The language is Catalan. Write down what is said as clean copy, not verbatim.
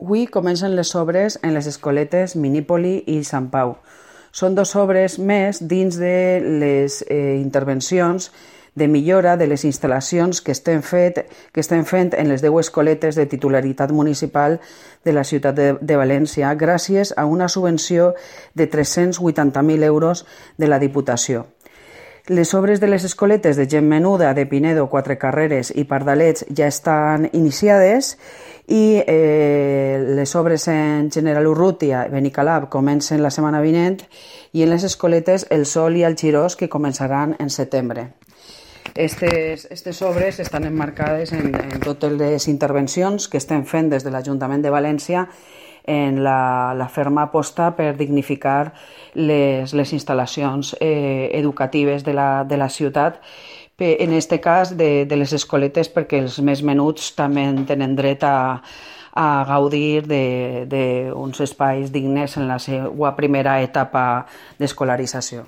Avui comencen les obres en les escoletes Minípoli i Sant Pau. Són 2 obres més dins de les intervencions de millora de les instal·lacions que estem fent en les 10 escoletes de titularitat municipal de la ciutat de València gràcies a una subvenció de 380.000 euros de la Diputació. Les obres de les escoletes de Gent Menuda, de Pinedo, Quatre Carreres i Pardalets ja estan iniciades i les obres en General Urrutia i Benicalap comencen la setmana vinent i en les escoletes El Sol i el Xirós que començaran en setembre. Aquestes obres estan emmarcades en totes les intervencions que estem fent des de l'Ajuntament de València en la ferma aposta per dignificar les instal·lacions educatives de la ciutat, en aquest cas de les escoletes, perquè els més menuts també tenen dret a gaudir d'uns espais dignes en la seva primera etapa d'escolarització.